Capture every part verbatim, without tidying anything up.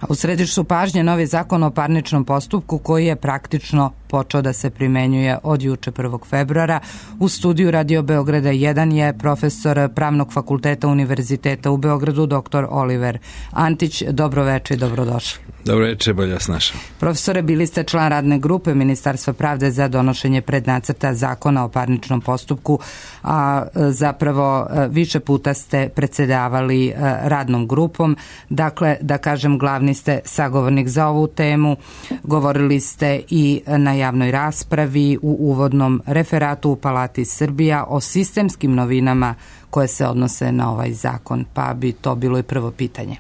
U središtu pažnje novi zakon o parničnom postupku koji je praktično počeo da se primenjuje od juče prvog februara. U studiju Radio Beograda jedan je profesor Pravnog fakulteta Univerziteta u Beogradu, doktor Oliver Antić. Dobro večer i dobrodošli. Dobro večer, bolje vas našao. Profesore, bili ste član radne grupe Ministarstva pravde za donošenje prednacrta zakona o parničnom postupku, a zapravo više puta ste predsedavali radnom grupom. Dakle, da kažem, glavni ste sagovornik za ovu temu. Govorili ste i na javnoj raspravi u uvodnom referatu u Palati Srbija o sistemskim novinama koje se odnose na ovaj zakon, pa bi to bilo i prvo pitanje.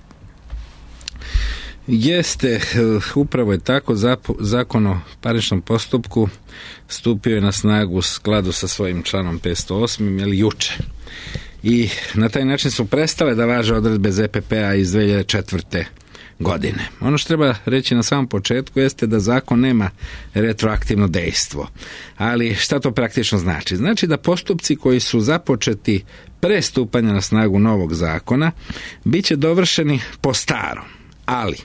Jeste, upravo je tako. Zakon o parničnom postupku stupio je na snagu u skladu sa svojim članom petsto osam, ili juče. I na taj način su prestale da važe odredbe Z P P-a iz dve hiljade četvrte. godine. Ono što treba reći na samom početku jeste da zakon nema retroaktivno dejstvo. Ali šta to praktično znači? Znači da postupci koji su započeti pre stupanja na snagu novog zakona bit će dovršeni po starom. Ali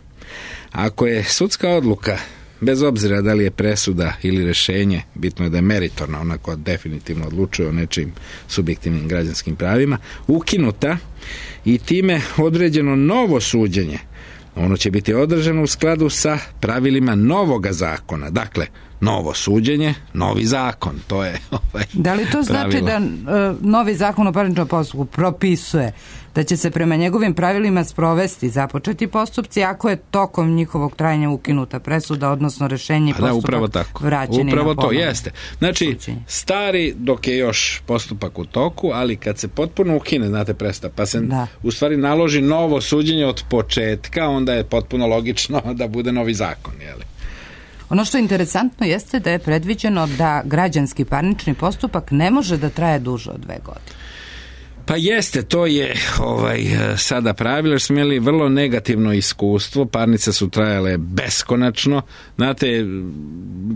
ako je sudska odluka, bez obzira da li je presuda ili rješenje, bitno je da je meritorna, ona koja definitivno odlučuje o nečim subjektivnim građanskim pravima, ukinuta i time određeno novo suđenje, ono će biti održano u skladu sa pravilima novoga zakona. Dakle, novo suđenje, novi zakon. To je ovaj Da li to znači pravilo. da uh, novi zakon o parničnom postupku propisuje da će se prema njegovim pravilima sprovesti započeti postupci ako je tokom njihovog trajanja ukinuta presuda, odnosno rješenje i postupak da, upravo tako. vraćeni upravo na to ponovno jeste. Znači, suđenje. stari dok je još postupak u toku, ali kad se potpuno ukine, znate, presuda, pa se Da. u stvari naloži novo suđenje od početka, onda je potpuno logično da bude novi zakon, jeli? Ono što je interesantno jeste da je predviđeno da građanski parnični postupak ne može da traje duže od dve godine. Pa jeste, to je ovaj, sada pravilo, jer smo imali vrlo negativno iskustvo, parnice su trajale beskonačno. Znate,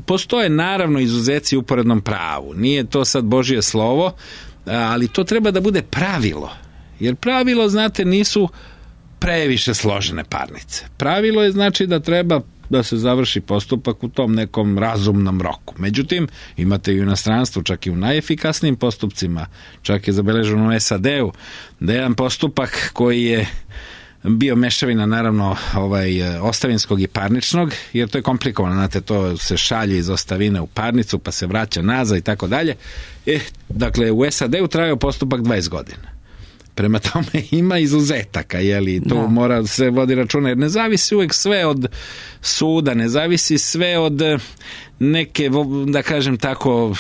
postoje naravno izuzeci u uporednom pravu, nije to sad Božje slovo, ali to treba da bude pravilo, jer pravilo, znate, nisu previše složene parnice. Pravilo je znači da treba da se završi postupak u tom nekom razumnom roku. Međutim, imate i u inostranstvu, čak i u najefikasnijim postupcima, čak je zabeleženo u S A D-u, da je jedan postupak koji je bio mešavina, naravno, ovaj, ostavinskog i parničnog, jer to je komplikovano, znate, to se šalje iz ostavine u parnicu, pa se vraća nazad i tako dalje. E, dakle, u S A D-u trajao postupak dvadeset godina. Prema tome ima izuzetaka, jeli, to da. mora se vodi računa, jer ne zavisi uvijek sve od suda, ne zavisi sve od neke, da kažem tako,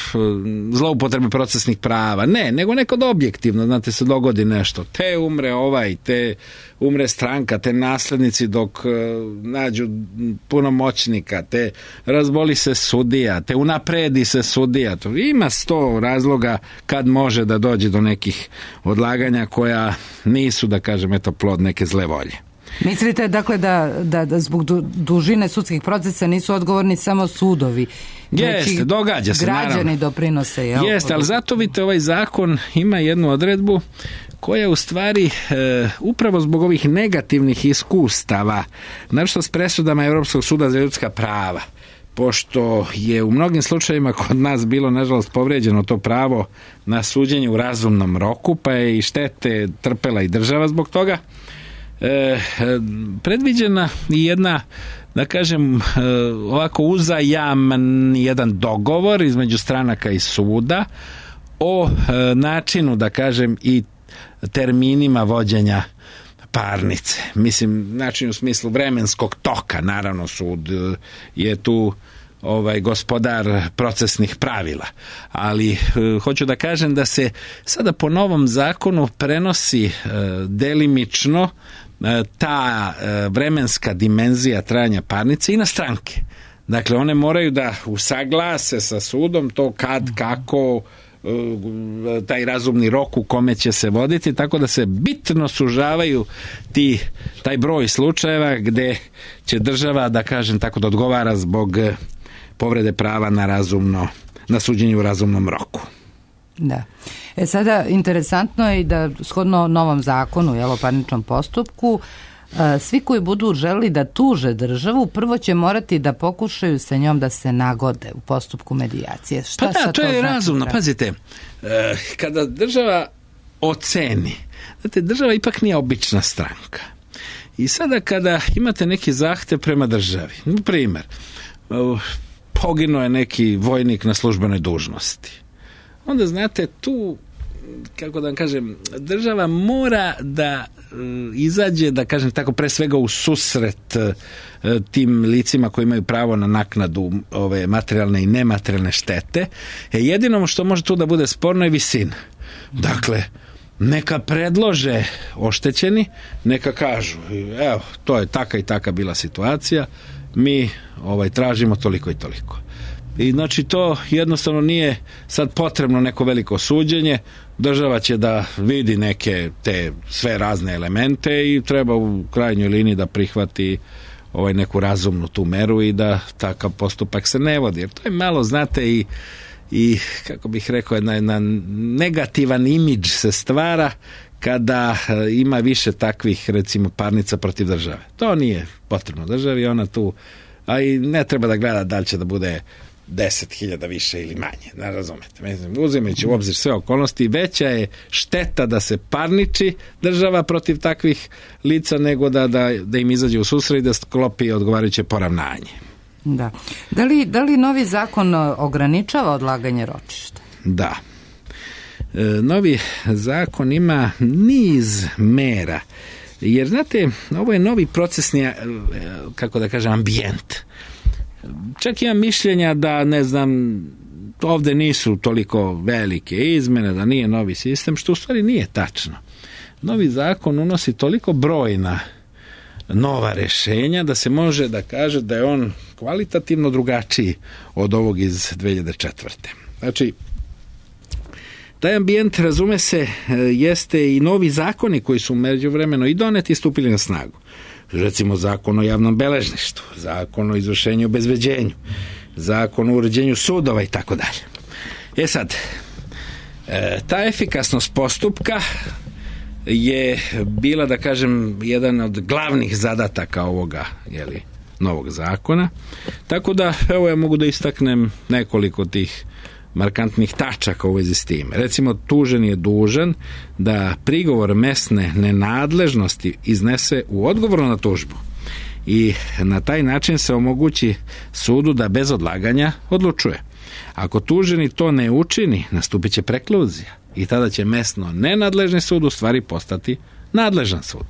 zloupotrebe procesnih prava, ne, nego nekod objektivno, znate, se dogodi nešto, te umre ovaj, te umre stranka, te naslednici dok nađu punomoćnika, te razboli se sudija, te unapredi se sudija, to ima sto razloga kad može da dođe do nekih odlaganja koja nisu, da kažem, eto, plod neke zle volje. Mislite dakle da, da, da zbog du, dužine sudskih procesa nisu odgovorni samo sudovi? Jeste, događa se, građani naravno. doprinose. Jel? Jeste, ali zato vidite, ovaj zakon ima jednu odredbu koja u stvari e, upravo zbog ovih negativnih iskustava, naročito s presudama Europskog suda za ljudska prava, pošto je u mnogim slučajevima kod nas bilo, nažalost, povrijeđeno to pravo na suđenje u razumnom roku, pa je i štete trpela i država zbog toga, E, predviđena i jedna, da kažem, e, ovako uzajaman jedan dogovor između stranaka i suda o e, načinu, da kažem, i terminima vođenja parnice. Mislim, način u smislu vremenskog toka, naravno sud je tu ovaj gospodar procesnih pravila, ali e, hoću da kažem da se sada po novom zakonu prenosi e, delimično e, ta e, vremenska dimenzija trajanja parnice i na stranke. Dakle, one moraju da usaglase sa sudom to kad, kako, e, taj razumni rok u kome će se voditi, tako da se bitno sužavaju ti, taj broj slučajeva gde će država, da kažem tako, da odgovara zbog povrede prava na razumno, na suđenje u razumnom roku. Da. E sada, interesantno je i da shodno novom zakonu, jel, o parničnom postupku, svi koji budu želi da tuže državu, prvo će morati da pokušaju sa njom da se nagode u postupku medijacije. Šta pa da, to, to je znači razumno. pravi? Pazite, kada država oceni, znate, država ipak nije obična stranka. I sada kada imate neki zahtev prema državi, na primjer, poginuo je neki vojnik na službenoj dužnosti, onda znate tu, kako da vam kažem, država mora da izađe, da kažem tako, pre svega u susret tim licima koji imaju pravo na naknadu ove materijalne i nematerijalne štete. E, jedino što može tu da bude sporno je visina. Dakle, neka predlože oštećeni, neka kažu, evo, to je taka i taka bila situacija, mi ovaj tražimo toliko i toliko. I znači to jednostavno nije sad potrebno neko veliko suđenje, država će da vidi neke te sve razne elemente i treba u krajnjoj liniji da prihvati ovaj neku razumnu tu meru i da takav postupak se ne vodi. Jer to je malo, znate, i, i kako bih rekao, jedna, jedna negativan imidž se stvara kada ima više takvih, recimo, parnica protiv države. To nije potrebno državi, ona tu, a i ne treba da gleda da li će da bude deset hiljada više ili manje, ne razumete. Mislim, uzimajući u obzir sve okolnosti, veća je šteta da se parniči država protiv takvih lica nego da, da, da im izađe u susret i da sklopi odgovarajuće poravnanje. Da. Da li, da li novi zakon ograničava odlaganje ročišta? Da. E, novi zakon ima niz mera, jer znate, ovo je novi procesni, kako da kažem, ambijent. Čak imam mišljenja da, ne znam, ovde nisu toliko velike izmene, da nije novi sistem, što u stvari nije tačno. Novi zakon unosi toliko brojna nova rešenja da se može da kaže da je on kvalitativno drugačiji od ovog iz dve hiljade četvrte. Znači, taj ambijent, razume se, jeste i novi zakoni koji su međuvremeno i doneti i stupili na snagu. Recimo zakon o javnom beležništvu, zakon o izvršenju i obezbeđenju, zakon o uređenju sudova i tako dalje. E sad, ta efikasnost postupka je bila, da kažem, jedan od glavnih zadataka ovoga, jeli, novog zakona. Tako da, evo, ja mogu da istaknem nekoliko tih markantnih tačaka u vezi s tim. Recimo, tužen je dužan da prigovor mesne nenadležnosti iznese u odgovoru na tužbu i na taj način se omogući sudu da bez odlaganja odlučuje. Ako tuženi to ne učini, nastupit će prekluzija i tada će mesno nenadležni sud u stvari postati nadležan sud.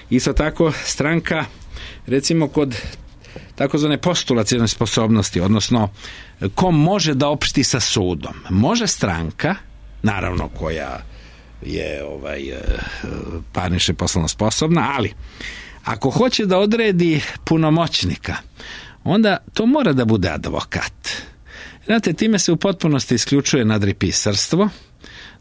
Isto tako, stranka, recimo kod takozvane postulacione sposobnosti, odnosno ko može da opšti sa sudom. Može stranka, naravno koja je ovaj, parnične poslovno sposobna, ali ako hoće da odredi punomoćnika, onda to mora da bude advokat. Znate, time se u potpunosti isključuje nadripisarstvo,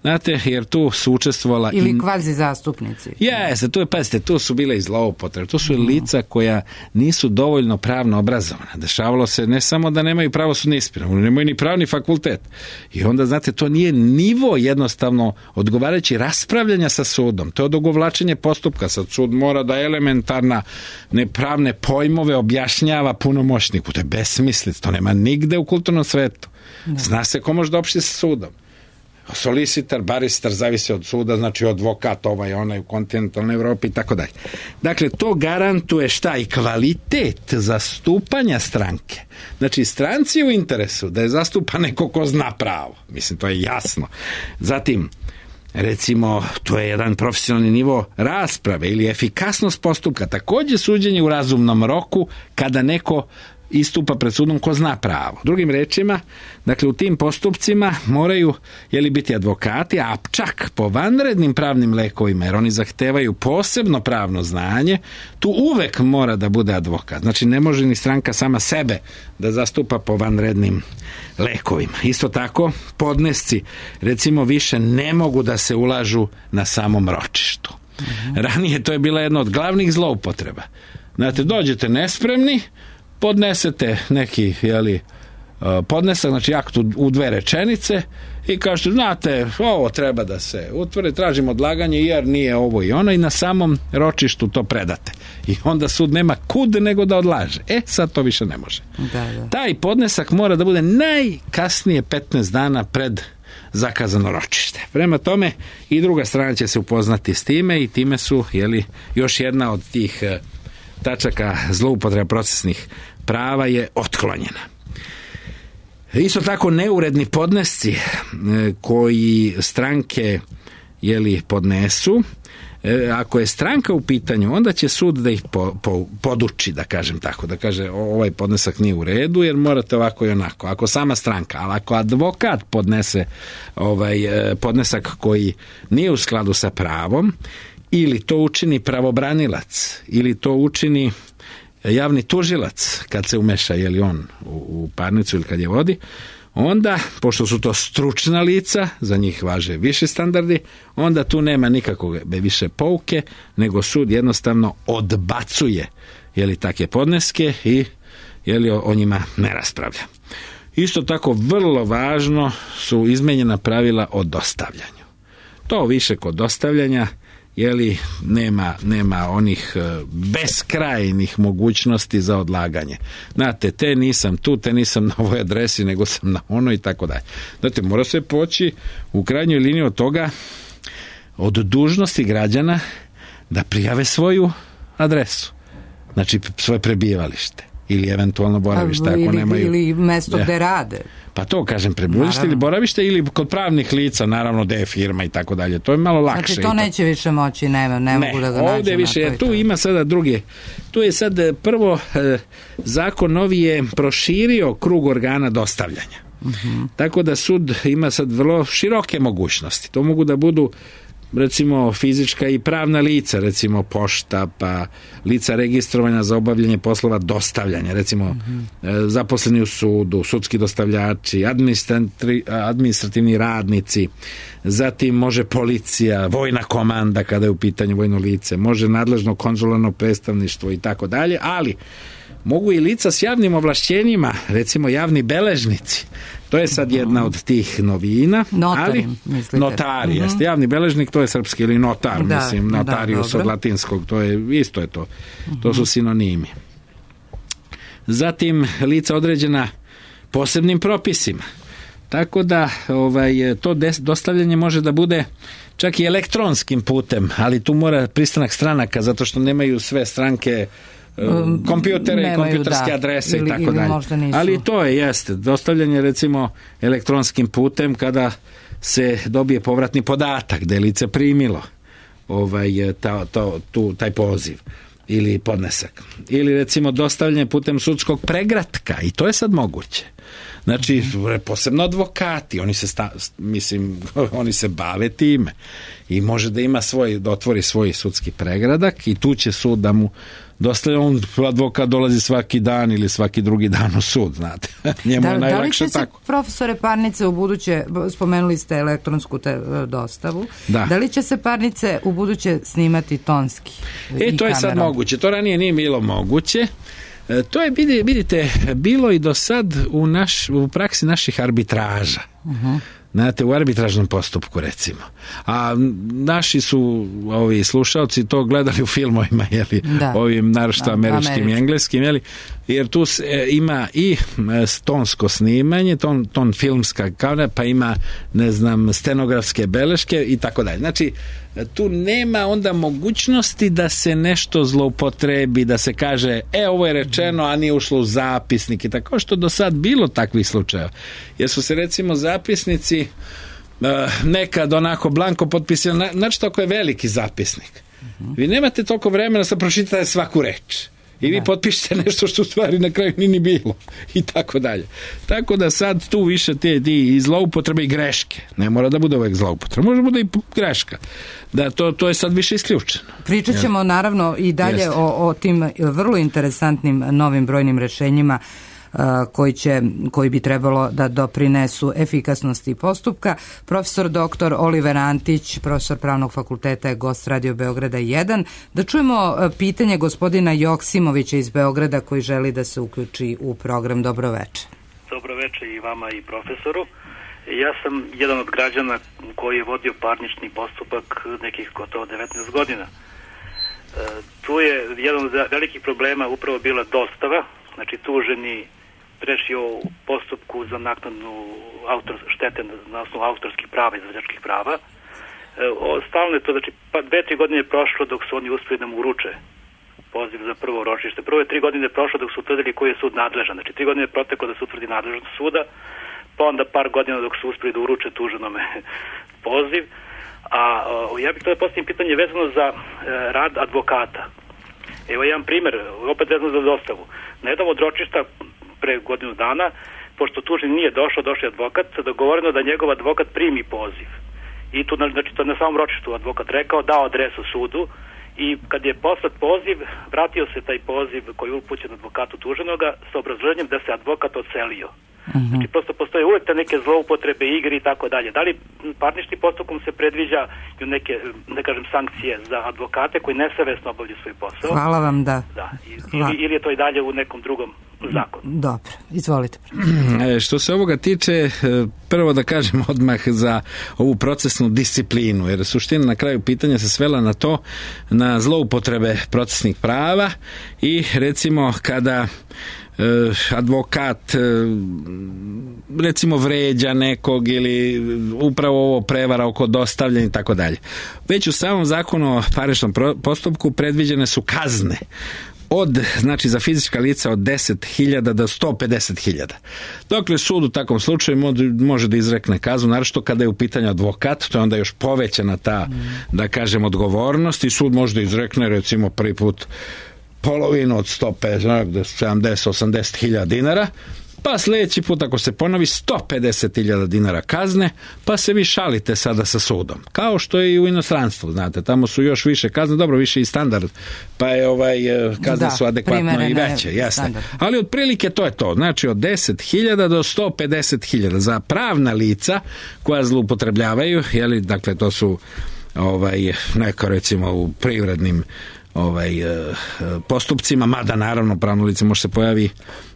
znate, jer tu su učestvovala ili in... kvazi zastupnici. Jeste, tu je, pazite, tu su bile i zloupotrebe, tu su i lica koja nisu dovoljno pravno obrazovana. Dešavalo se ne samo da nemaju pravosudni ispit, nemaju ni pravni fakultet. I onda, znate, to nije nivo jednostavno odgovarajući raspravljanja sa sudom. To je odugovlačenje postupka. Sad sud mora da elementarna nepravne pojmove objašnjava punomoćniku. To je besmislic, to nema nigde u kulturnom svetu. Zna se ko može da opšti sa sudom. Solicitar, baristar, zavisi od suda, znači advokat, ovaj, onaj u kontinentalnoj Evropi i tako dalje. Dakle, to garantuje šta? I kvalitet zastupanja stranke. Znači, stranci u interesu da je zastupa neko ko zna pravo. Mislim, to je jasno. Zatim, recimo, to je jedan profesionalni nivo rasprave ili efikasnost postupka. Takođe, suđenje u razumnom roku kada neko istupa pred sudom ko zna pravo. Drugim rečima, dakle, u tim postupcima moraju, jeli, biti advokati, a čak po vanrednim pravnim lekovima, jer oni zahtevaju posebno pravno znanje, tu uvek mora da bude advokat. Znači, ne može ni stranka sama sebe da zastupa po vanrednim lekovima. Isto tako, podnesci, recimo, više ne mogu da se ulažu na samom ročištu. Mhm. Ranije to je bila jedna od glavnih zloupotreba. Znate, dođete nespremni, podnesete neki, jeli, podnesak, znači akt u dve rečenice i kažete, znate, ovo treba da se utvrdi, tražimo odlaganje jer nije ovo i ono i na samom ročištu to predate. I onda sud nema kud nego da odlaže. E, sad to više ne može. Da, da. Taj podnesak mora da bude najkasnije petnaest dana pred zakazano ročište. Prema tome i druga strana će se upoznati s time i time su, jeli, još jedna od tih tačaka zloupotreba procesnih prava je otklonjena. Isto tako neuredni podnesci koji stranke jeli, podnesu, ako je stranka u pitanju, onda će sud da ih po, po, poduči, da kažem tako, da kaže ovaj podnesak nije u redu jer morate ovako i onako. Ako sama stranka, ali ako advokat podnese ovaj podnesak koji nije u skladu sa pravom, ili to učini pravobranilac, ili to učini javni tužilac kad se umeša, je li on u, u parnicu ili kad je vodi, onda, pošto su to stručna lica, za njih važe više standardi, onda tu nema nikakve više pouke, nego sud jednostavno odbacuje, je li, takve podneske i, je li, o, o njima ne raspravlja. Isto tako, vrlo važno su izmenjena pravila o dostavljanju. To više kod dostavljanja, jeli, nema, nema onih beskrajnih mogućnosti za odlaganje. Znate, te nisam tu, te nisam na ovoj adresi, nego sam na ono i tako dalje. Znate, mora se poći u krajnjoj liniji od toga, od dužnosti građana da prijave svoju adresu. Znači, svoje prebivalište ili eventualno boravište, ako ili, nemaju... Ili mesto gde rade. Pa to kažem, prebivalište ili boravište ili kod pravnih lica, naravno gde je firma i tako dalje. To je malo lakše. Znači to neće više moći, ne, ne, ne mogu da ga nađem. Ovdje više, jer tu ima sada druge. Tu je sad prvo, zakon novi je proširio krug organa dostavljanja. Uh-huh. Tako da sud ima sad vrlo široke mogućnosti. To mogu da budu recimo fizička i pravna lica, recimo pošta, pa lica registrovanja za obavljanje poslova dostavljanja, recimo mm-hmm. zaposleni u sudu, sudski dostavljači, administrativni radnici, zatim može policija, vojna komanda kada je u pitanju vojno lice, može nadležno konzularno predstavništvo i tako dalje, ali mogu i lica s javnim ovlašćenjima, recimo javni beležnici. To je sad jedna od tih novina. Notari, ali, mislite. Notari, uh-huh. jeste. Javni beležnik, to je srpski, ili notar, da, mislim, notarius da, od latinskog, to je, isto je to. Uh-huh. To su sinonimi. Zatim, lica određena posebnim propisima. Tako da, ovaj, to des, dostavljanje može da bude čak i elektronskim putem, ali tu mora pristanak stranaka, zato što nemaju sve stranke kompjutere i kompjuterske da, adrese ili, i tako dalje. Ali to je, jeste, dostavljanje recimo elektronskim putem kada se dobije povratni podatak da je lice primilo ovaj, ta, to, tu, taj poziv ili podnesak. Ili recimo dostavljanje putem sudskog pregratka i to je sad moguće. Znači, posebno advokati, oni se, sta, mislim, oni se bave time i može da ima svoj, da otvori svoj sudski pregradak i tu će sud da mu dostavlja, on advokat dolazi svaki dan ili svaki drugi dan u sud, znate. Njemu da, je najlakše tako. Da li će se, profesore, parnice u buduće, spomenuli ste elektronsku te, dostavu, da. da li će se parnice u buduće snimati tonski? E, to je sad moguće, to ranije nije bilo moguće. To je, vidite, bilo i do sad u, naš, u praksi naših arbitraža. Uh-huh. Znate, u arbitražnom postupku, recimo. A naši su ovi slušalci to gledali u filmovima, jeli, da. ovim naročito američkim Američki. i engleskim, jeli, jer tu se, e, ima i tonsko snimanje, ton, ton filmska kamera, pa ima, ne znam, stenografske beleške i tako dalje. Znači, tu nema onda mogućnosti da se nešto zloupotrebi, da se kaže, e, ovo je rečeno, a nije ušlo u zapisnik i tako, što do sad bilo takvih slučajeva. Jer su se, recimo, zapisnici uh, nekad onako blanko potpisali, znači ako je veliki zapisnik. Uh-huh. Vi nemate toliko vremena da pročitate svaku reč. I vi potpišete nešto što u stvari na kraju nije ni bilo. I tako dalje. Tako da sad tu više te i zloupotrebe i greške. Ne mora da bude uvek zloupotreba. Može da bude i greška. Da, to, to je sad više isključeno. Pričat ćemo naravno i dalje o, o tim vrlo interesantnim novim brojnim rešenjima koji će, koji bi trebalo da doprinesu efikasnosti postupka. Profesor doktor Oliver Antić, profesor Pravnog fakulteta, je gost Radio Beograda jedan. Da čujemo pitanje gospodina Joksimovića iz Beograda koji želi da se uključi u program. Dobro večer. Dobro večer. predsjedniče, i vama i profesoru. Ja sam jedan od građana koji je vodio parnični postupak nekih gotovo devetnaest godina. E, tu je jedan od velikih problema upravo bila dostava, znači tuženi prešio u postupku za naknadnu autor, štete na osnovu autorskih prava i izvođačkih prava. E, stalno je to, znači pa dve, tri godine je prošlo dok su oni uspjeli da mu uruče poziv za prvo ročište. Prvo je tri godine prošlo dok su utvrdili koji je sud nadležan. Znači tri godine je proteklo da se utvrdi nadležnost suda, pa onda par godina dok su uspjeli da uruče tuženome poziv. A o, ja bih to da postavim pitanje vezano za e, rad advokata. Evo jedan primjer, opet vezano za dostavu. Na jednom od ročišta pre godinu dana, pošto tužen nije došao, došao je advokat, dogovoreno da njegov advokat primi poziv. I tu, znači, to na samom ročištu advokat rekao, dao adresu sudu, i kad je poslat poziv, vratio se taj poziv koji je upućen advokatu tuženoga sa obrazloženjem da se advokat odselio. Uh-huh. Znači, prosto postoje uvek te neke zloupotrebe, igre i tako dalje. Da li parničnim postupkom se predviđa neke, da kažem, sankcije za advokate koji nesavesno obavljaju svoj posao? Hvala vam, da. Da. Ili, ili je to i dalje u nekom drugom zakonu? Dobro, izvolite. E, što se ovoga tiče, prvo da kažem odmah za ovu procesnu disciplinu, jer suština na kraju pitanja se svela na to, na zloupotrebe procesnih prava i recimo kada advokat recimo vređa nekog ili upravo ovo prevara oko dostavljanja i tako dalje. Već u samom zakonu o parničnom postupku predviđene su kazne od, znači za fizička lica od deset hiljada do sto pedeset hiljada. Dokle sud u takvom slučaju može da izrekne kaznu, naročito kada je u pitanju advokat, to je onda još povećana ta, da kažem, odgovornost i sud može da izrekne recimo prvi put polovinu od sto pedeset, sedamdeset, osamdeset hiljada dinara, pa sljedeći put ako se ponovi sto pedeset hiljada dinara kazne, pa se vi šalite sada sa sudom. Kao što je i u inostranstvu, znate, tamo su još više kazne, dobro, više i standard, pa je ovaj, kazne da, su adekvatno i veće, jasne. Ali otprilike to je to, znači od deset hiljada do sto pedeset hiljada za pravna lica koja zloupotrebljavaju, jeli, dakle to su ovaj, neko recimo u privrednim ovaj, postupcima, mada naravno pravno lice može se pojavi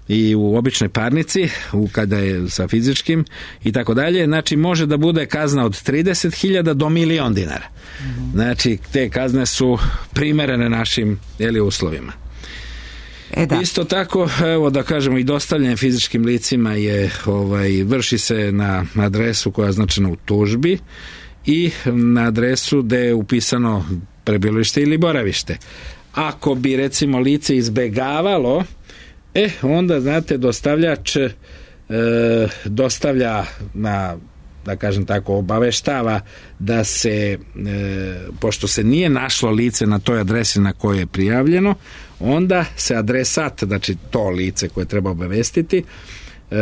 i u običnoj parnici, u kada je sa fizičkim i tako dalje, znači može da bude kazna od trideset hiljada do milion dinara. Mm-hmm. Znači te kazne su primerene našim jeli, uslovima. E da. Isto tako, evo da kažemo, i dostavljanje fizičkim licima je ovaj, vrši se na adresu koja je označena u tužbi i na adresu gde je upisano prebivalište ili boravište. Ako bi recimo lice izbegavalo, e onda znate dostavljač e, dostavlja na, da kažem tako, obaveštava da se e, pošto se nije našlo lice na toj adresi na kojoj je prijavljeno, onda se adresat, znači to lice koje treba obavestiti, e,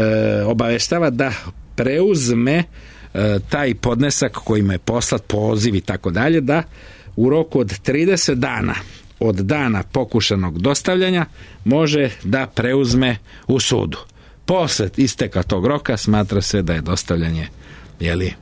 obaveštava da preuzme e, taj podnesak kojima je poslat poziv i tako dalje, da u roku od trideset dana od dana pokušanog dostavljanja može da preuzme u sudu. Posle isteka tog roka smatra se da je dostavljanje jeli,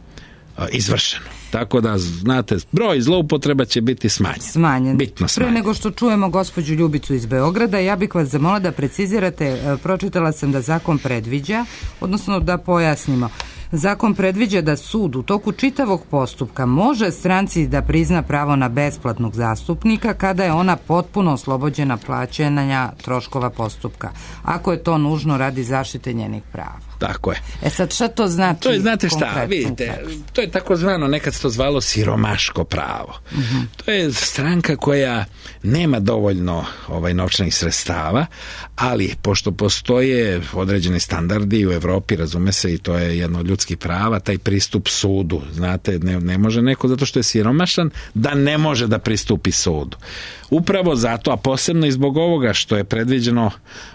izvršeno. Tako da, znate, broj zloupotreba će biti smanjen. Smanjen. Bitno smanjen. Pre nego što čujemo gospođu Ljubicu iz Beograda, ja bih vas zamolila da precizirate, pročitala sam da zakon predviđa, odnosno da pojasnimo. Zakon predviđa da sud u toku čitavog postupka može stranci da prizna pravo na besplatnog zastupnika kada je ona potpuno oslobođena plaćanja troškova postupka, ako je to nužno radi zaštite njenih prava. Tako je. E sad, šta to znači? To je, znate šta, konkretno, vidite, konkretno? to je tako zvano, nekad se to zvalo siromaško pravo. Uh-huh. To je stranka koja nema dovoljno ovaj, novčanih sredstava, ali pošto postoje određeni standardi u Evropi, razume se, i to je jedno od ljudskih prava, taj pristup sudu, znate, ne, ne može neko, zato što je siromašan, da ne može da pristupi sudu. Upravo zato, a posebno i zbog ovoga što je predviđeno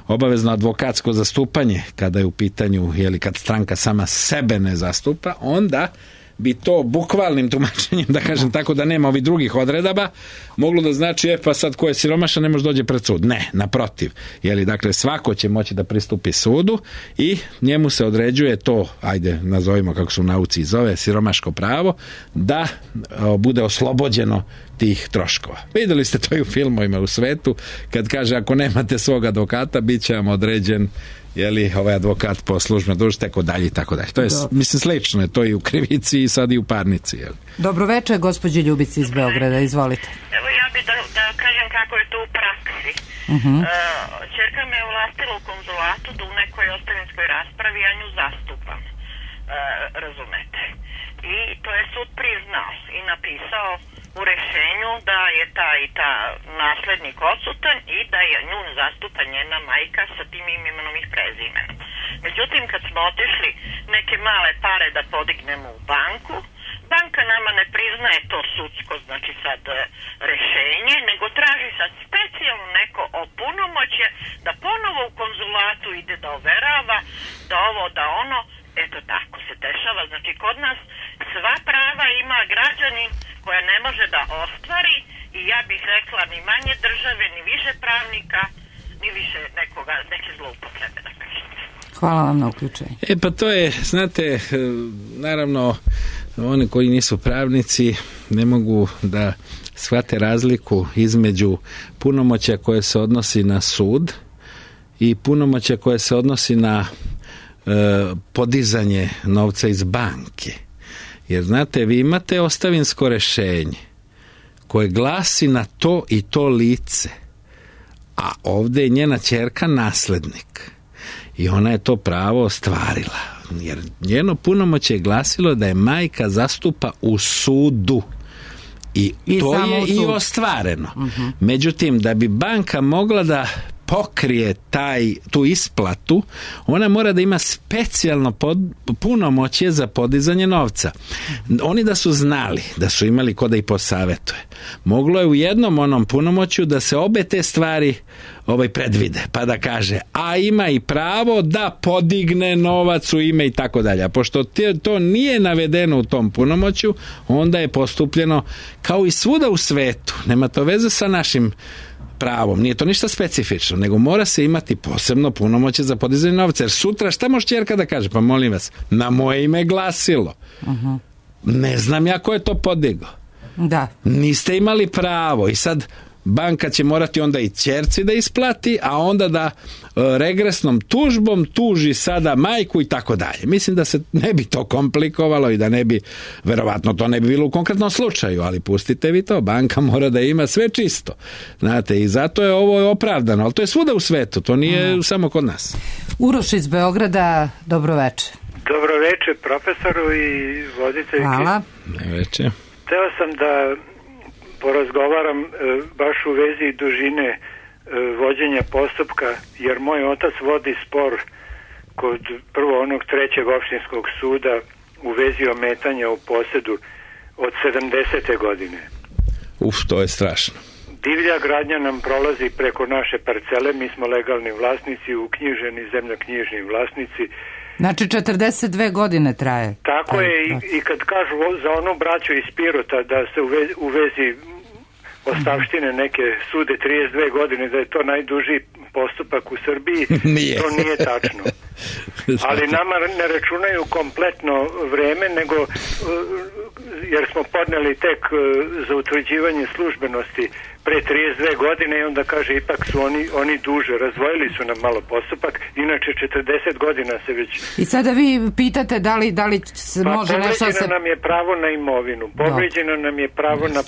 obavezno advokatsko zastupanje kada je u pitanju, jeli, kad stranka sama sebe ne zastupa, onda bi to bukvalnim tumačenjem, da kažem tako, da nema ovih drugih odredaba, moglo da znači, e pa sad ko je siromašan ne može dođe pred sud. Ne, naprotiv. Jeli, dakle, svako će moći da pristupi sudu i njemu se određuje to, ajde, nazovimo kako se u nauci zove, siromaško pravo, da o, bude oslobođeno tih troškova. Videli ste to i u filmovima u svetu, kad kaže ako nemate svog advokata, bit će vam određen jeli, ovaj advokat po službenoj dužnosti, tako dalje i tako dalje. To je, Dobro. mislim, slično je to i u krivici i sad i u parnici. Jeli. Dobro večer, gospođi Ljubici iz Beograda, izvolite. Evo ja bih da, da kažem kako je to u praksi. Uh-huh. Uh, Čerka me ulastila u konzulatu da u nekoj ostavinskoj raspravi ja nju zastupam. Uh, razumete. I to je sud priznao i napisao u rešenju da je ta i ta naslednik odsutan i da je nju zastupa njena majka sa tim imenom i prezimenom. Međutim, kad smo otišli neke male pare da podignemo u banku, banka nama ne priznaje to sudsko, znači sad rešenje, nego traži sad specijalno neko opunomoćje da ponovo u konzulatu ide da overava, da ovo, da ono. Eto tako se dešava. Znači kod nas sva prava ima građanin koja ne može da ostvari i ja bih rekla ni manje države, ni više pravnika, ni više nekoga, neke zloupotrebe da kažete. Hvala vam na uključenju. E pa to je, znate, naravno oni koji nisu pravnici ne mogu da shvate razliku između punomoćja koje se odnosi na sud i punomoćja koje se odnosi na podizanje novca iz banke. Jer znate, vi imate ostavinsko rešenje koje glasi na to i to lice, a ovdje je njena ćerka naslednik i ona je to pravo ostvarila, jer njeno punomoćje je glasilo da je majka zastupa u sudu i, I to je i ostvareno. Uh-huh. Međutim, da bi banka mogla da pokrije taj, tu isplatu, ona mora da ima specijalno pod, punomoćje za podizanje novca. Oni da su znali, da su imali ko da i posavetuje, moglo je u jednom onom punomoćju da se obe te stvari ovaj predvide, pa da kaže, a ima i pravo da podigne novac u ime i tako dalje. A pošto te, to nije navedeno u tom punomoćju, onda je postupljeno kao i svuda u svetu. Nema to veze sa našim pravom, nije to ništa specifično, nego mora se imati posebno punomoćje za podizanje novca, jer sutra šta može ćerka da kaže? Pa molim vas, na moje ime glasilo. Uh-huh. Ne znam ja ko je to podigao. Da. Niste imali pravo i sad banka će morati onda i ćerci da isplati, a onda da e, regresnom tužbom tuži sada majku i tako dalje. Mislim da se ne bi to komplikovalo i da ne bi, verovatno to ne bi bilo u konkretnom slučaju, ali pustite vi to, banka mora da ima sve čisto. Znate, i zato je ovo opravdano, ali to je svuda u svetu, to nije Aha. samo kod nas. Uroš iz Beograda, dobro večer. Dobro večer profesoru i voditeljki. Hvala. Dobro večer. Teo sam da porazgovaram e, baš u vezi dužine e, vođenja postupka, jer moj otac vodi spor kod prvo onog trećeg opštinskog suda u vezi ometanja u posedu od sedamdesete godine. Uf, to je strašno. Divlja gradnja nam prolazi preko naše parcele, mi smo legalni vlasnici, uknjiženi zemljoknjižni vlasnici. Znači četrdeset dve godine traje. Tako Aj, je i, i kad kažu za onu braću iz Pirota da se u vezi, u vezi ostavštine neke sude trideset dve godine, da je to najduži postupak u Srbiji, nije. To nije tačno. Ali nama ne računaju kompletno vreme, nego jer smo podneli tek za utvrđivanje službenosti pre trideset dve godine i onda kaže ipak su oni, oni duže, razvojili su nam malo postupak, inače četrdeset godina se već... I sada vi pitate da li, da li se pa, može nešto se... nam je pravo na imovinu, povređeno nam je pravo yes, na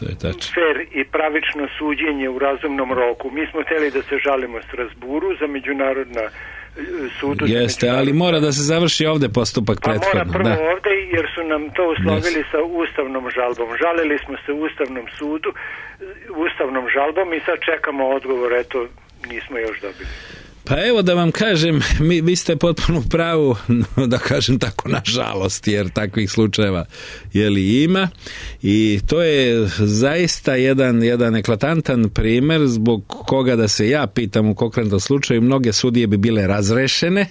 fair i pravično suđenje u razumnom roku. Mi smo hteli da se žalimo Strasburu za međunarodna sudu. Jeste, ali mora da se završi ovde postupak prethodno. Pa mora prvo da. ovde, jer su nam to uslovili yes. sa ustavnom žalbom. Žalili smo se u Ustavnom sudu, ustavnom žalbom i sad čekamo odgovor, eto, nismo još dobili. Pa evo da vam kažem, mi, vi ste potpuno u pravu, da kažem tako, nažalost, jer takvih slučajeva jeli ima i to je zaista jedan, jedan eklatantan primer zbog koga da se ja pitam u konkretnom slučaju, mnoge sudije bi bile razrešene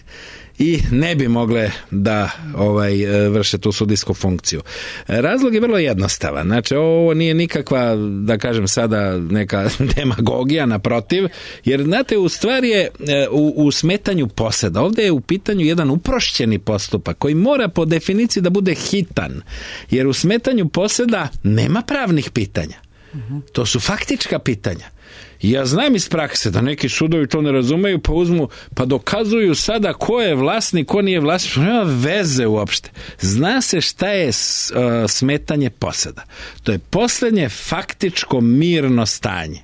i ne bi mogle da ovaj vrše tu sudijsku funkciju. Razlog je vrlo jednostavan. Znači, ovo nije nikakva, da kažem sada, neka demagogija, naprotiv, jer, znate, u stvari je u, u smetanju poseda. Ovdje je u pitanju jedan uprošćeni postupak koji mora po definiciji da bude hitan, jer u smetanju poseda nema pravnih pitanja. To su faktička pitanja. Ja znam iz prakse da neki sudovi to ne razumeju, pa uzmu, pa dokazuju sada ko je vlasnik, ko nije vlasnik, nema veze uopšte. Zna se šta je uh, smetanje poseda. To je posljednje faktičko mirno stanje.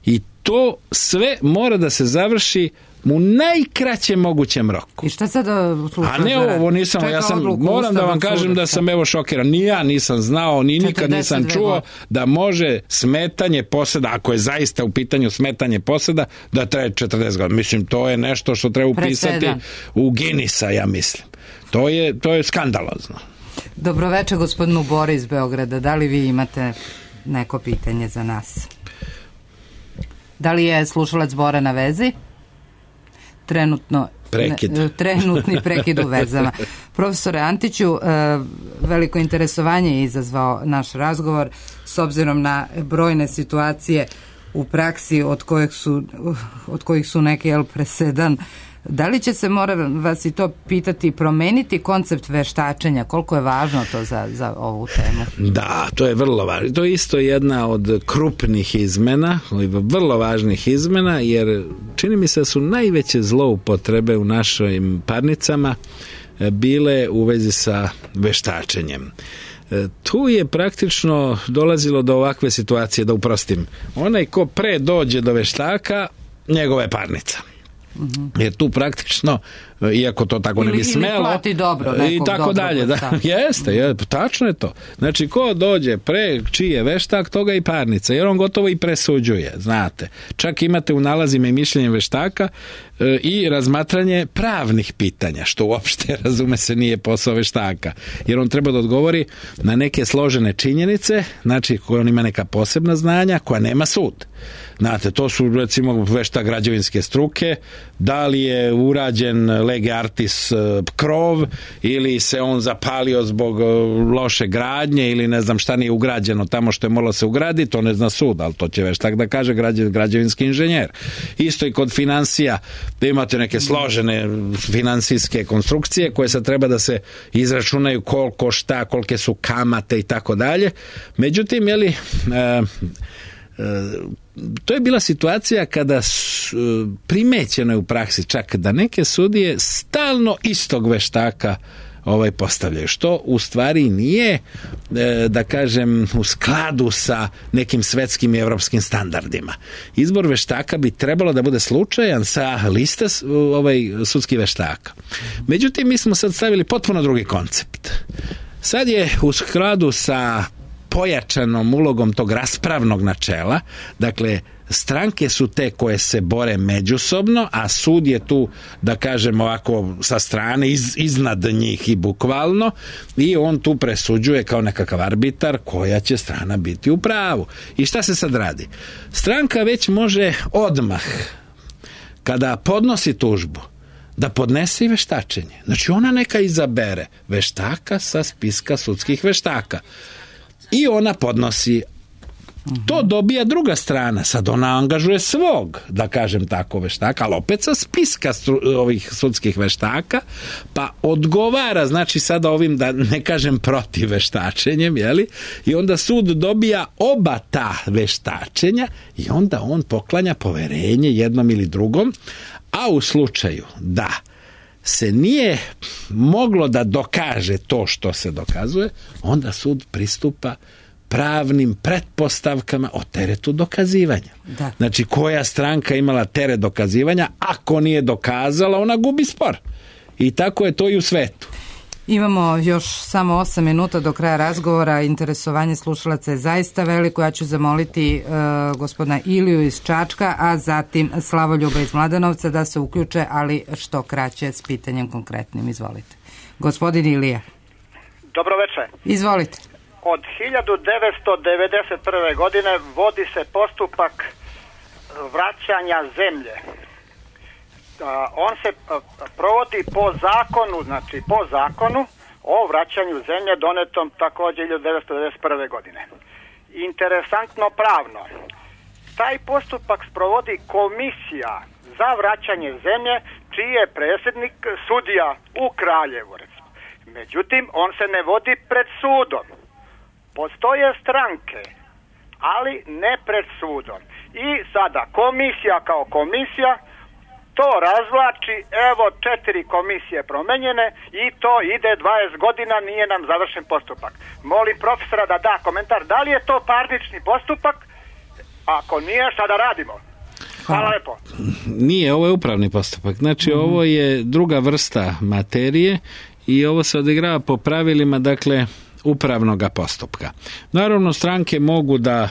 I to sve mora da se završi u najkraćem mogućem roku. I šta sad slušaš? A ne ovo, nisam, ja sam, moram da vam kažem da sam evo šokiran. Ni ja nisam znao, ni nikad nisam čuo da može smetanje poseda, ako je zaista u pitanju smetanje poseda, da traje četrdeset godina. Mislim, to je nešto što treba upisati u Guinnessa, ja mislim. To je, to je skandalozno. Dobroveče gospodinu Bori iz Beograda. Da li vi imate neko pitanje za nas? Da li je slušalac Bora na vezi? Trenutno, prekid. Ne, trenutni prekid u vezama. Profesore Antiću, veliko interesovanje je izazvao naš razgovor s obzirom na brojne situacije u praksi od kojih su, od kojih su neki jel, presedan. Da li će se, moram vas i to pitati, promeniti koncept veštačenja? Koliko je važno to za, za ovu temu? Da, to je vrlo važno. To je isto jedna od krupnih izmena, vrlo važnih izmena, jer čini mi se da su najveće zloupotrebe u našim parnicama bile u vezi sa veštačenjem. Tu je praktično dolazilo do ovakve situacije, da uprostim. Onaj ko pre dođe do veštaka, njegova je parnica. Jer tu praktično, iako to tako ne bi smelo, plati dobro, i tako dobro, dalje, da, jeste, je, tačno je to. Znači, ko dođe pre čiji je veštak, toga i parnica, jer on gotovo i presuđuje, znate. Čak imate u nalazima i mišljenje veštaka e, i razmatranje pravnih pitanja, što uopšte, razume se, nije posao veštaka, jer on treba da odgovori na neke složene činjenice, znači koje on ima neka posebna znanja, koja nema sud. Znate, to su recimo veštak građevinske struke, da li je urađen lege artis krov ili se on zapalio zbog loše gradnje ili ne znam šta nije ugrađeno tamo što je moralo se ugraditi, to ne zna sud, ali to će veštak da kaže građevinski inženjer. Isto i kod finansija, da imate neke složene finansijske konstrukcije koje sad treba da se izračunaju koliko šta, kolike su kamate i tako dalje. Međutim, je li e, to je bila situacija kada primećeno je u praksi čak da neke sudije stalno istog veštaka ovaj postavljaju, što u stvari nije, da kažem, u skladu sa nekim svetskim i evropskim standardima. Izbor veštaka bi trebalo da bude slučajan sa liste ovaj sudskih veštaka. Međutim, mi smo sad stavili potpuno drugi koncept. Sad je u skladu sa pojačanom ulogom tog raspravnog načela, dakle stranke su te koje se bore međusobno, a sud je tu, da kažem ovako, sa strane iz, iznad njih i bukvalno, i on tu presuđuje kao nekakav arbitar koja će strana biti u pravu. I šta se sad radi? Stranka već može odmah, kada podnosi tužbu, da podnese i veštačenje. Znači ona neka izabere veštaka sa spiska sudskih veštaka. I ona podnosi, to dobija druga strana, sad ona angažuje svog, da kažem tako, veštaka, ali opet sa spiska stru, ovih sudskih veštaka, pa odgovara, znači sada ovim, da ne kažem protiv veštačenjem, jeli? I onda sud dobija oba ta veštačenja i onda on poklanja poverenje jednom ili drugom, a u slučaju da se nije moglo da dokaže to što se dokazuje, onda sud pristupa pravnim pretpostavkama o teretu dokazivanja. Da. Znači, koja stranka imala teret dokazivanja, ako nije dokazala, ona gubi spor. I tako je to i u svetu. Imamo još samo osam minuta do kraja razgovora. Interesovanje slušalaca je zaista veliko. Ja ću zamoliti uh, gospodina Iliju iz Čačka, a zatim Slavoljuba iz Mladenovca da se uključe, ali što kraće s pitanjem konkretnim. Izvolite. Gospodin Ilija. Dobro večer. Izvolite. Od hiljadu devetsto devedeset prve. godine vodi se postupak vraćanja zemlje. On se provodi po zakonu, znači po zakonu o vraćanju zemlje donetom također hiljadu devetsto devedeset prve. godine. Interesantno pravno, taj postupak sprovodi komisija za vraćanje zemlje, čiji je predsjednik sudija u Kraljevu. Međutim, on se ne vodi pred sudom. Postoje stranke, ali ne pred sudom. I sada komisija kao komisija to razvlači, evo četiri komisije promenjene i to ide dvadeset godina, nije nam završen postupak. Molim profesora da da komentar, da li je to parnični postupak? Ako nije, šta da radimo? Hvala lepo. Nije, ovo je upravni postupak. Znači, mm-hmm. ovo je druga vrsta materije i ovo se odigrava po pravilima, dakle, upravnog postupka. Naravno, stranke mogu da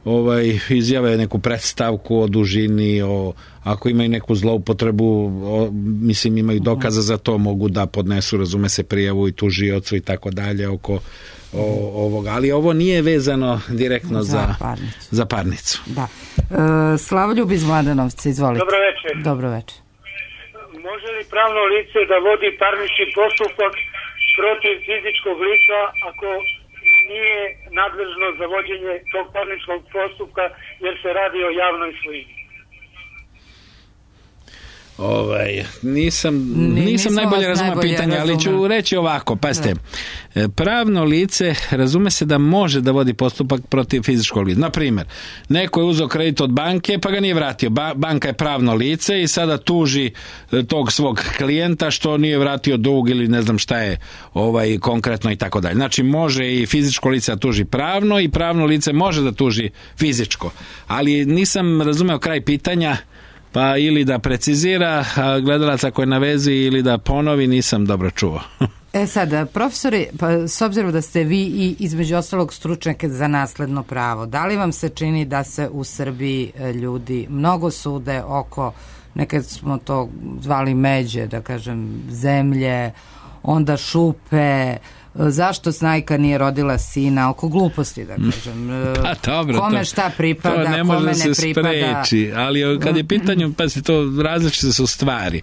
ovaj izjave neku predstavku o dužini, o ako imaju neku zloupotrebu, o, mislim imaju dokaza za to, mogu da podnesu, razume se, prijavu i tužiocu i tako dalje oko o, ovoga, ali ovo nije vezano direktno za, za, parnicu. za parnicu. Da. E, Slavoljub iz Mladenovca, izvolite. Dobro večer. Dobro večer. Može li pravno lice da vodi parnični postupak protiv fizičkog lica ako nije nadležno za vođenje tog parničnog postupka jer se radi o javnoj svojini? Ovaj, nisam, nisam, nisam najbolje razumio pitanje, ali ću reći ovako, pazite, da. Pravno lice razume se da može da vodi postupak protiv fizičkog lica. Naprimjer, neko je uzeo kredit od banke pa ga nije vratio. Ba- banka je pravno lice i sada tuži tog svog klijenta što nije vratio dug ili ne znam šta je ovaj, konkretno i tako dalje. Znači može i fizičko lice da tuži pravno i pravno lice može da tuži fizičko. Ali nisam razumeo kraj pitanja, pa ili da precizira gledalac ako je na vezi ili da ponovi, nisam dobro čuo. E sad, profesori, pa s obzirom da ste vi i između ostalog stručnjake za nasledno pravo, da li vam se čini da se u Srbiji ljudi mnogo sude oko, nekad smo to zvali međe, da kažem, zemlje, onda šupe, zašto snajka nije rodila sina, oko gluposti, da kažem. Pa, dobro, kome to, šta pripada, to ne može kome da se ne pripada. Spreči, ali kad je pitanju, pa se to različite su stvari.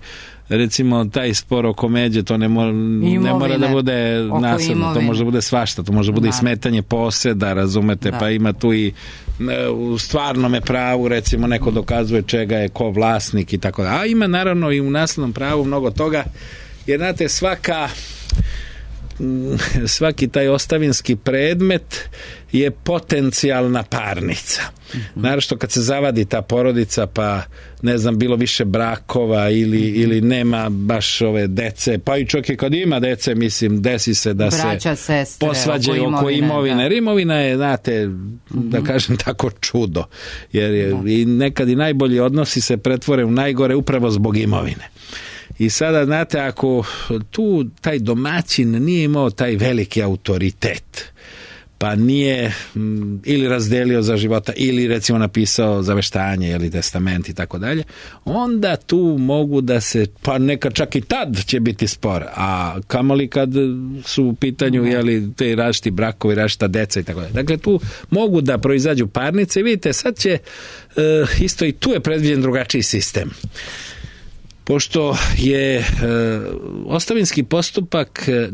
Recimo, taj spor oko međe, to ne mora, ne mora da bude nasilno, to može da bude svašta, to može da bude i smetanje poseda, razumete, da. Pa ima tu i u stvarnome pravu, recimo, neko dokazuje čega je ko vlasnik i tako da. A ima naravno i u naslednom pravu mnogo toga, jer znate, svaka svaki taj ostavinski predmet je potencijalna parnica. Mm-hmm. Naravno što kad se zavadi ta porodica, pa ne znam, bilo više brakova ili, mm-hmm. ili nema baš ove dece, pa i čak i kad ima dece, mislim, desi se da braća, se sestre, posvađaju oko, oko imovine. Jer imovina je, znate, mm-hmm. da kažem tako, čudo. Jer je, da. I nekad i najbolji odnosi se pretvore u najgore upravo zbog imovine. I sada, znate, ako tu taj domaćin nije imao taj veliki autoritet, pa nije m, ili razdelio za života, ili recimo napisao zaveštanje ili testament i tako dalje, onda tu mogu da se, pa neka čak i tad će biti spor, a kamoli kad su u pitanju jeli, te različiti brakovi, različita deca i tako dalje. Dakle, tu mogu da proizađu parnice. Vidite, sad će e, isto i tu je predviđen drugačiji sistem. Pošto je e, ostavinski postupak, e,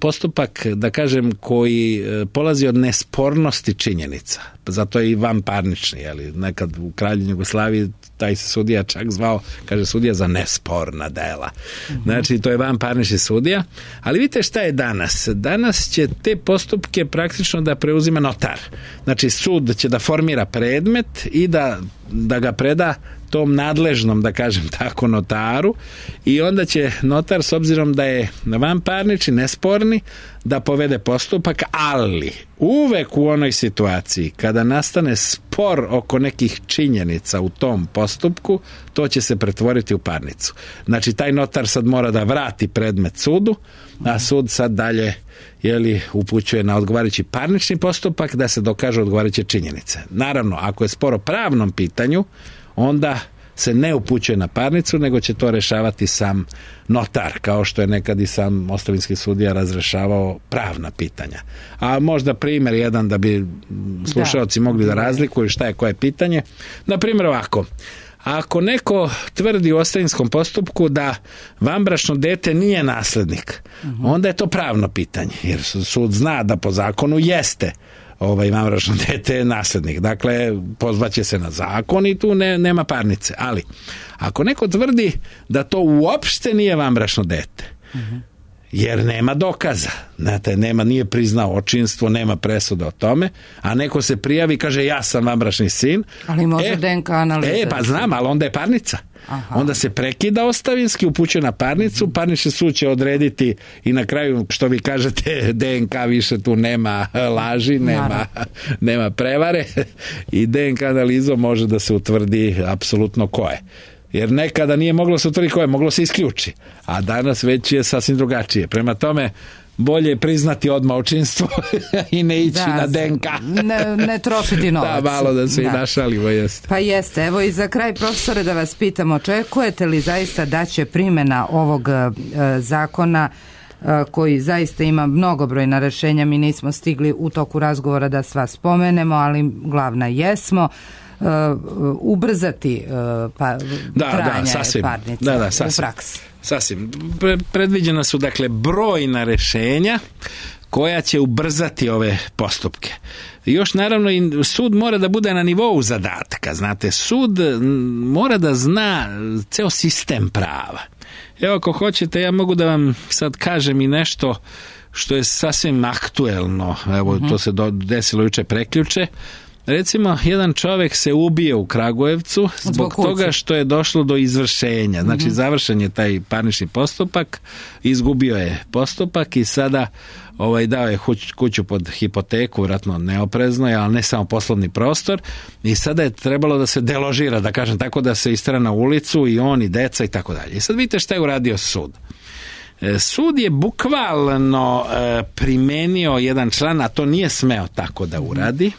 postupak, da kažem, koji e, polazi od nespornosti činjenica, zato je i vanparnični, jeli, nekad u Kraljevini Jugoslaviji taj se sudija čak zvao, kaže, sudija za nesporna dela. Mm-hmm. Znači, to je vanparnični sudija, ali vidite šta je danas. Danas će te postupke praktično da preuzima notar. Znači, sud će da formira predmet i da, da ga preda tom nadležnom, da kažem tako, notaru, i onda će notar, s obzirom da je vanparnični, nesporni, da povede postupak, ali uvek u onoj situaciji kada nastane spor oko nekih činjenica u tom postupku, to će se pretvoriti u parnicu. Znači, taj notar sad mora da vrati predmet sudu, a sud sad dalje jeli, upućuje na odgovarajući parnični postupak da se dokažu odgovarajuće činjenice. Naravno, ako je spor o pravnom pitanju, onda se ne upućuje na parnicu, nego će to rešavati sam notar, kao što je nekad i sam ostavinski sudija razrešavao pravna pitanja. A možda primjer jedan da bi slušaoci da. mogli da razlikuju šta je koje pitanje. Na primjer ovako, ako neko tvrdi u ostavinskom postupku da vanbračno dete nije naslednik, uh-huh. onda je to pravno pitanje, jer sud zna da po zakonu jeste ovaj vanbračno dete je naslednik. Dakle, pozvaće se na zakon i tu ne, nema parnice. Ali, ako neko tvrdi da to uopšte nije vanbračno dete, uh-huh. jer nema dokaza. Znate, nema, nije priznao očinstvo, nema presuda o tome, a neko se prijavi i kaže ja sam vanbračni sin. Ali može e, D N K analiza. E, pa znam, ali onda je parnica. Aha. Onda se prekida ostavinski, upućuje na parnicu, mm-hmm. parnični sud će odrediti i na kraju, što vi kažete, D N K više tu nema laži, nema, nema prevare i D N K analizom može da se utvrdi apsolutno ko je. Jer nekada nije moglo se utvrditi ko je, moglo se isključi, a danas već je sasvim drugačije. Prema tome, bolje je priznati odmah očinstvo i ne ići da, na D N K. ne, ne trošiti novac. Da, malo da se da. i našalimo, jeste. Pa jeste. Evo i za kraj, profesore, da vas pitam, očekujete li zaista da će primjena ovog e, zakona e, koji zaista ima mnogobrojna rešenja, mi nismo stigli u toku razgovora da sva spomenemo, ali glavna jesmo, Uh, ubrzati uh, pa, da, trajanje da, sasvim, parnice da, da, sasvim, u praksi. Sasvim. Pre, predviđena su dakle brojna rešenja koja će ubrzati ove postupke. I još naravno i sud mora da bude na nivou zadatka. Znate, sud mora da zna ceo sistem prava. Evo, ako hoćete, ja mogu da vam sad kažem i nešto što je sasvim aktuelno. Evo, mm-hmm. to se do, desilo juče preključe. Recimo, jedan čovjek se ubije u Kragujevcu zbog, zbog toga što je došlo do izvršenja. Znači, mm-hmm. završen je taj parnični postupak, izgubio je postupak i sada ovaj, dao je kuću pod hipoteku, vjerojatno neoprezno, ali ne samo poslovni prostor, i sada je trebalo da se deložira, da kažem tako, da se istera na ulicu i on i deca i tako dalje. I sad vidite šta je uradio sud. Sud je bukvalno e, primenio jedan član, a to nije smeo tako da uradi.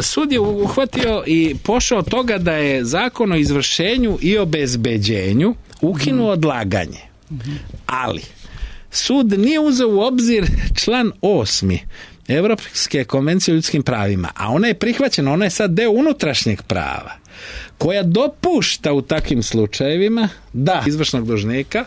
Sud je uhvatio i pošao od toga da je zakon o izvršenju i obezbeđenju ukinuo odlaganje. Ali sud nije uzeo u obzir član osmi Evropske konvencije o ljudskim pravima, a ona je prihvaćena, ona je sad deo unutrašnjeg prava, koja dopušta u takvim slučajevima da izvršnog dužnika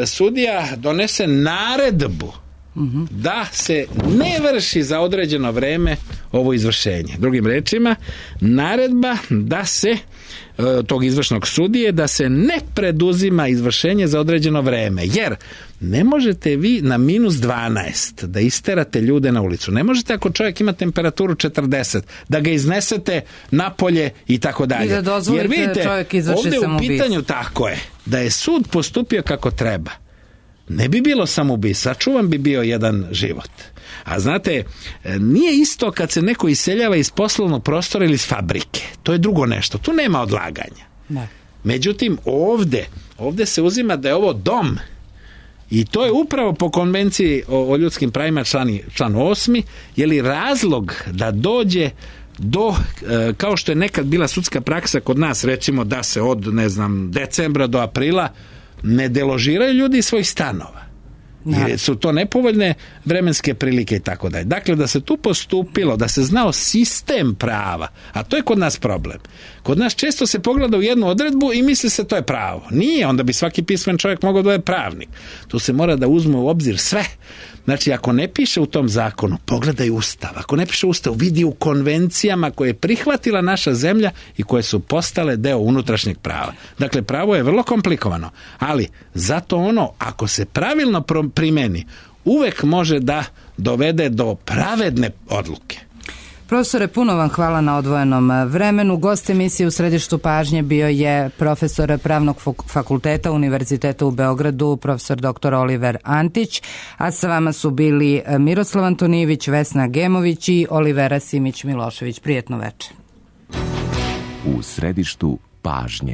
sudija donese naredbu mm-hmm. da se ne vrši za određeno vreme ovo izvršenje. Drugim rečima, naredba da se tog izvršnog sudije da se ne preduzima izvršenje za određeno vreme, jer ne možete vi na minus dvanaest da isterate ljude na ulicu. Ne možete ako čovjek ima temperaturu četrdeset da ga iznesete napolje i tako dalje. I da dozvolite jer vidite, čovjek izvrši ovdje samoubistvo. U pitanju tako je, da je sud postupio kako treba. Ne bi bilo samoubistvo, sačuvan bi bio jedan život. A znate, nije isto kad se neko iseljava iz poslovnog prostora ili iz fabrike. To je drugo nešto. Tu nema odlaganja. Ne. Međutim, ovdje, ovdje se uzima da je ovo dom. I to je upravo po konvenciji o, o ljudskim pravima člani, član osmi, je li razlog da dođe do, e, kao što je nekad bila sudska praksa kod nas, recimo da se od, ne znam, decembra do aprila ne deložiraju ljudi iz svojih stanova. Jer su to nepovoljne vremenske prilike i tako dalje. Dakle, da se tu postupilo, da se znao sistem prava, a to je kod nas problem. Kod nas često se pogleda u jednu odredbu i misli se to je pravo. Nije, onda bi svaki pismen čovjek mogao da je pravnik. Tu se mora da uzme u obzir sve. Znači, ako ne piše u tom zakonu, pogledaj Ustav. Ako ne piše Ustav, vidi u konvencijama koje je prihvatila naša zemlja i koje su postale deo unutrašnjeg prava. Dakle, pravo je vrlo komplikovano, ali zato ono, ako se pravilno primeni, uvek može da dovede do pravedne odluke. Profesore, puno vam hvala na odvojenom vremenu. Gost emisije u središtu pažnje bio je profesor Pravnog fakulteta Univerziteta u Beogradu, profesor doktor Oliver Antić, a sa vama su bili Miroslav Antonijević, Vesna Gemović i Olivera Simić Milošević. Prijetno večer. U središtu pažnje.